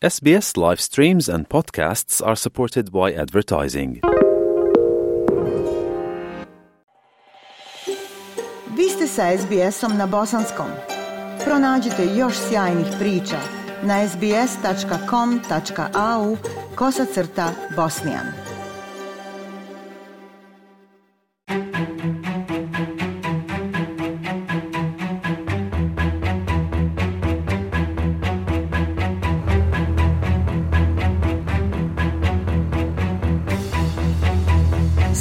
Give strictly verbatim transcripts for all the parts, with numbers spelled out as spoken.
S B S live streams and podcasts are supported by advertising. Vi ste sa S B S-om na bosanskom. Pronađite još sjajnih priča na sbs.com.au kosacrta Bosnijan.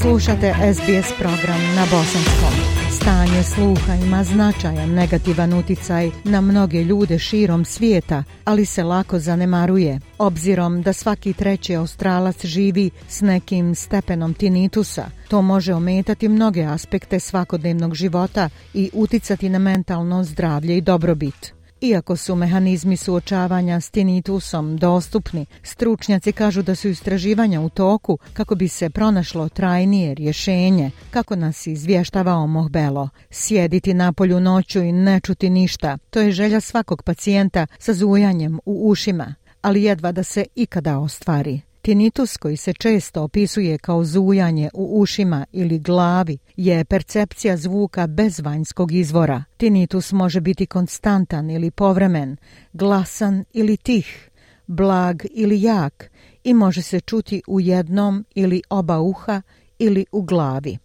Slušate S B S program na bosanskom. Stanje sluha ima značajan negativan uticaj na mnoge ljude širom svijeta, ali se lako zanemaruje, obzirom da svaki treći Australac živi s nekim stepenom tinitusa. To može ometati mnoge aspekte svakodnevnog života i uticati na mentalno zdravlje i dobrobit. Iako su mehanizmi suočavanja s tinitusom dostupni, stručnjaci kažu da su istraživanja u toku kako bi se pronašlo trajnije rješenje, kako nas izvještava Omoh Belo. Sjediti napolju noću i ne čuti ništa, to je želja svakog pacijenta sa zujanjem u ušima, ali jedva da se ikada ostvari. Tinitus, koji se često opisuje kao zujanje u ušima ili glavi, je percepcija zvuka bez vanjskog izvora. Tinitus može biti konstantan ili povremen, glasan ili tih, blag ili jak i može se čuti u jednom ili oba uha ili u glavi.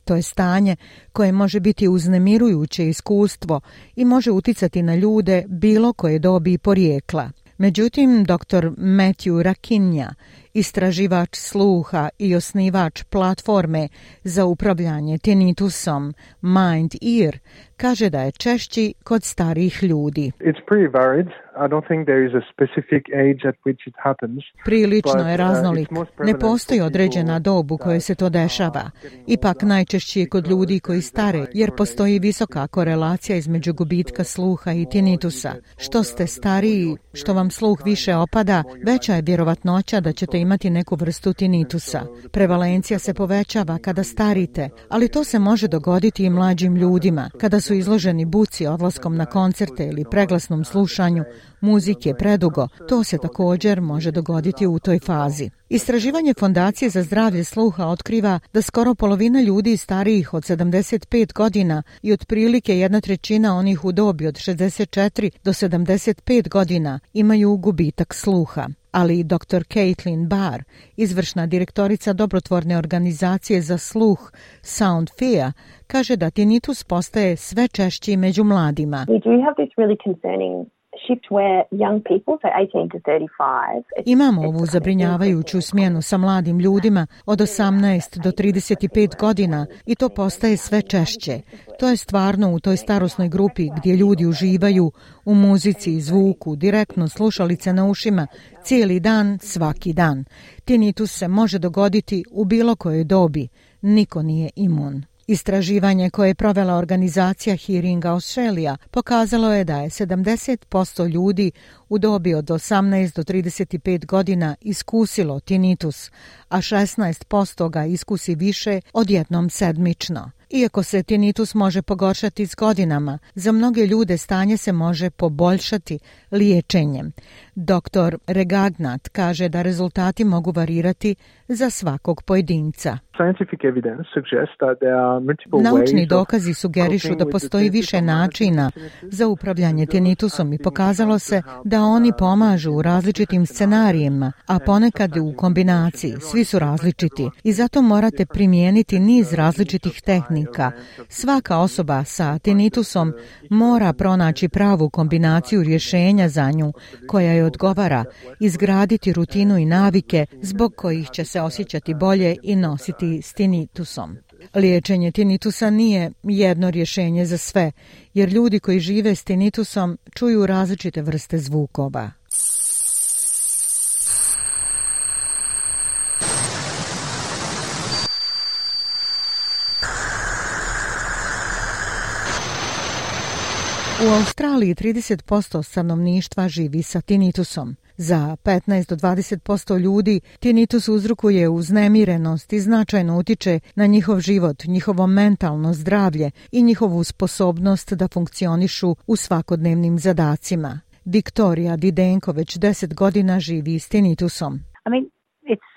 To je stanje koje može biti uznemirujuće iskustvo i može uticati na ljude bilo koje dobi i porijekla. Međutim, doktor Matthew Rakinja, istraživač sluha i osnivač platforme za upravljanje tinitusom Mind Ear, kaže da je češći kod starijih ljudi. It's pretty varied. I don't think there is a specific age at which it happens. Prilično je raznolik. Ne postoji određena dob u kojoj se to dešava. Ipak najčešće je kod ljudi koji stare, jer postoji visoka korelacija između gubitka sluha i tinitusa. Što ste stariji, što vam sluh više opada, veća je vjerovatnoća da ćete imati neku vrstu tinitusa. Prevalencija se povećava kada starite, ali to se može dogoditi i mlađim ljudima, kada su izloženi buci odlaskom na koncerte ili preglasnom slušanju muzike predugo. To se također može dogoditi u toj fazi. Istraživanje Fondacije za zdravlje sluha otkriva da skoro polovina ljudi starijih od sedamdeset pet godina i otprilike jedna trećina onih u dobi od šezdeset četiri do sedamdeset pet godina imaju gubitak sluha. Ali doktor Caitlin Barr, izvršna direktorica dobrotvorne organizacije za sluh Sound Fear, kaže da tinitus postaje sve češći među mladima. We do have this really concerning shift where young people, so eighteen to thirty-five. Imamo ovu zabrinjavajuću smjenu sa mladim ljudima od osamnaest do trideset pet godina i to postaje sve češće. To je stvarno u toj starosnoj grupi gdje ljudi uživaju u muzici i zvuku, direktno slušalice na ušima, cijeli dan, svaki dan. Tinitus se može dogoditi u bilo kojoj dobi. Niko nije imun. Istraživanje koje je provela organizacija Hearing Australia pokazalo je da je sedamdeset posto ljudi u dobi od osamnaest do trideset pet godina iskusilo tinitus, a šesnaest posto ga iskusi više od jednom sedmično. Iako se tinitus može pogoršati s godinama, za mnoge ljude stanje se može poboljšati liječenjem. Doktor Regagnat kaže da rezultati mogu varirati za svakog pojedinca. Naučni dokazi sugerišu da postoji više načina za upravljanje tinitusom i pokazalo se da oni pomažu u različitim scenarijima, a ponekad u kombinaciji. Svi su različiti i zato morate primijeniti niz različitih tehnika. Svaka osoba sa tinitusom mora pronaći pravu kombinaciju rješenja za nju koja je odgovara, izgraditi rutinu i navike zbog kojih će se osjećati bolje i nositi s tinitusom. Liječenje tinitusa nije jedno rješenje za sve, jer ljudi koji žive s tinitusom čuju različite vrste zvukova. U Australiji trideset posto stanovništva živi sa tinitusom. Za petnaest do dvadeset posto ljudi tinitus uzrokuje uznemirenost i značajno utiče na njihov život, njihovo mentalno zdravlje i njihovu sposobnost da funkcionišu u svakodnevnim zadacima. Viktorija Didenko već deset godina živi s tinitusom. I mean, it's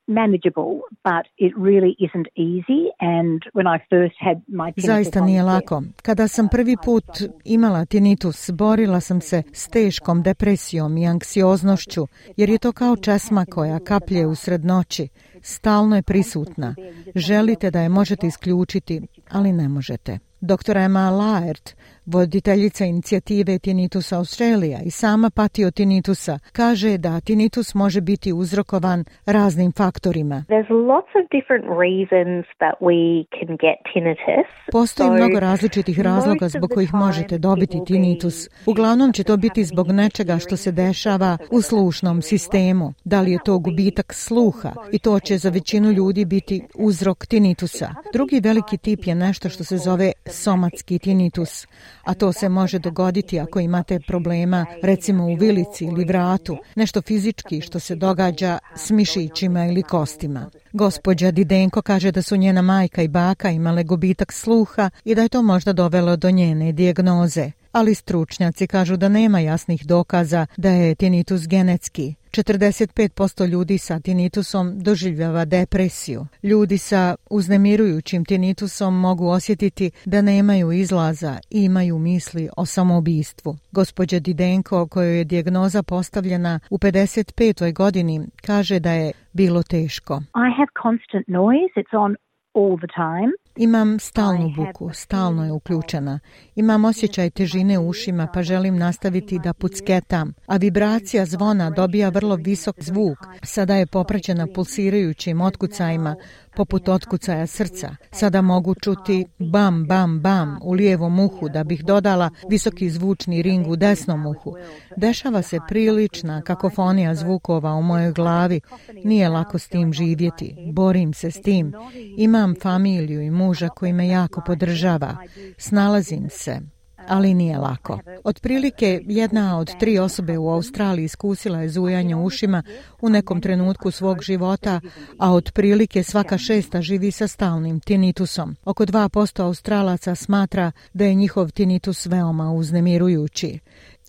manageable, but it really isn't easy. And when I first had my tinnitus, zaista nije lako. Kada sam prvi put imala tinitus, borila sam se s teškom depresijom i anksioznošću, jer je to kao česma koja kaplje usred noći. Stalno je prisutna. Želite da je možete isključiti, ali ne možete. Doktor Emma Laird, voditeljica inicijative Tinnitus Australia i sama pati od tinitusa, kaže da tinitus može biti uzrokovan raznim faktorima. There's lots of different reasons that we can get tinnitus. Postoji mnogo različitih razloga zbog kojih možete dobiti tinitus. Uglavnom će to biti zbog nečega što se dešava u slušnom sistemu. Da li je to gubitak sluha i to će za većinu ljudi biti uzrok tinitusa. Drugi veliki tip je nešto što se zove somatski tinitus, a to se može dogoditi ako imate problema recimo u vilici ili vratu, nešto fizički što se događa s mišićima ili kostima. Gospođa Didenko kaže da su njena majka i baka imale gubitak sluha i da je to možda dovelo do njene dijagnoze. Ali stručnjaci kažu da nema jasnih dokaza da je tinitus genetski. četrdeset pet posto ljudi sa tinitusom doživljava depresiju. Ljudi sa uznemirujućim tinitusom mogu osjetiti da nemaju izlaza i imaju misli o samoubistvu. Gospođa Didenko, kojoj je dijagnoza postavljena u pedeset petoj godini, kaže da je bilo teško. I have constant noise. It's on all the time. Imam stalnu buku, stalno je uključena. Imam osjećaj težine u ušima pa želim nastaviti da pucketam, a vibracija zvona dobija vrlo visok zvuk. Sada je popraćena pulsirajućim otkucajima, poput otkucaja srca. Sada mogu čuti bam, bam, bam u lijevom uhu da bih dodala visoki zvučni ring u desnom uhu. Dešava se prilična kakofonija zvukova u mojoj glavi. Nije lako s tim živjeti. Borim se s tim. Imam familiju i muža koji me jako podržava. Snalazim se, ali nije lako. Otprilike jedna od tri osobe u Australiji iskusila je zujanje u ušima u nekom trenutku svog života, a otprilike svaka šesta živi sa stalnim tinitusom. Oko dva posto Australaca smatra da je njihov tinitus veoma uznemirujući.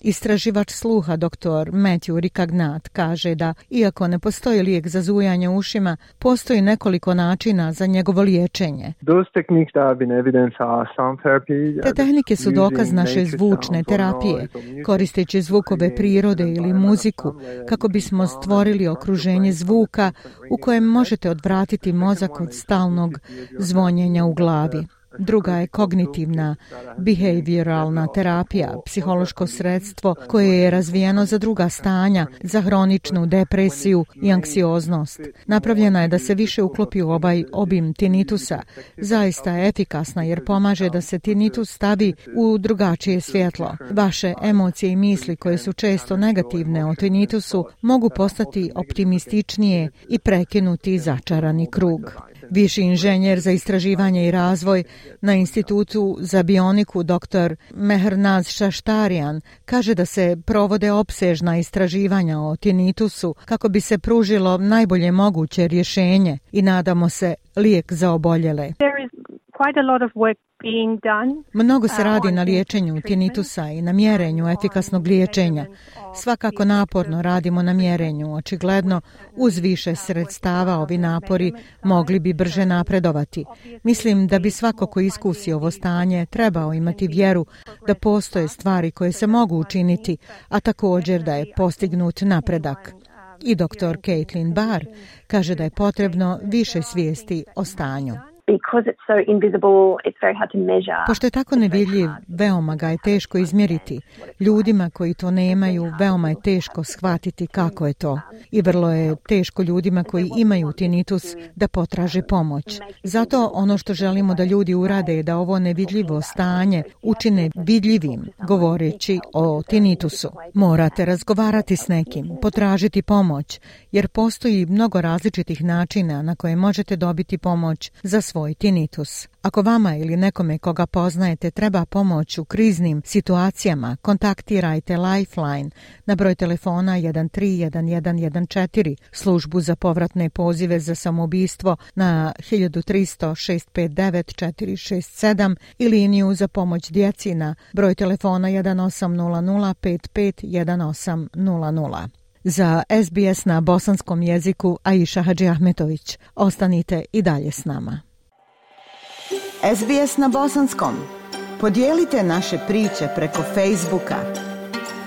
Istraživač sluha doktor Matthew Ricagnat kaže da, iako ne postoji lijek za zujanje ušima, postoji nekoliko načina za njegovo liječenje. Te tehnike su dokaz naše zvučne terapije, koristeći zvukove prirode ili muziku, kako bismo stvorili okruženje zvuka u kojem možete odvratiti mozak od stalnog zvonjenja u glavi. Druga je kognitivna, behavioralna terapija, psihološko sredstvo koje je razvijeno za druga stanja, za hroničnu depresiju i anksioznost. Napravljena je da se više uklopi u ovaj obim tinitusa. Zaista je efikasna jer pomaže da se tinitus stavi u drugačije svjetlo. Vaše emocije i misli koje su često negativne o tinitusu mogu postati optimističnije i prekinuti začarani krug. Viši inženjer za istraživanje i razvoj na Institutu za bioniku dr. Mehrnaz Šaštarijan kaže da se provode opsežna istraživanja o tinitusu kako bi se pružilo najbolje moguće rješenje i nadamo se lijek za oboljele. Mnogo se radi na liječenju tinitusa i na mjerenju efikasnog liječenja. Svakako naporno radimo na mjerenju. Očigledno, uz više sredstava ovi napori mogli bi brže napredovati. Mislim da bi svako ko iskusi ovo stanje trebao imati vjeru da postoje stvari koje se mogu učiniti, a također da je postignut napredak. I doktor Caitlin Barr kaže da je potrebno više svijesti o stanju. Pošto je tako nevidljiv, veoma ga je teško izmjeriti. Ljudima koji to nemaju, veoma je teško shvatiti kako je to. I vrlo je teško ljudima koji imaju tinitus da potraže pomoć. Zato ono što želimo da ljudi urade je da ovo nevidljivo stanje učine vidljivim, govoreći o tinitusu. Morate razgovarati s nekim, potražiti pomoć, jer postoji mnogo različitih načina na koje možete dobiti pomoć za svoj svoj tinitus. Ako vama ili nekome koga poznajete treba pomoć u kriznim situacijama, kontaktirajte Lifeline na broj telefona jedan tri jedan jedan jedan četiri, službu za povratne pozive za samoubistvo na hiljadu tristo šest pet devet četiri šest sedam i liniju za pomoć djeci na broj telefona jedan osam nula nula pet pet jedan osam nula nula. Za S B S na bosanskom jeziku Aisha Hadžiahmetović. Ostanite i dalje s nama. S B S na bosanskom. Podijelite naše priče preko Facebooka.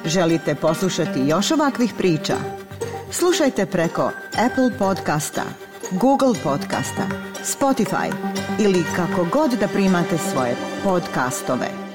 Želite poslušati još ovakvih priča? Slušajte preko Apple podcasta, Google podcasta, Spotify ili kako god da primate svoje podcastove.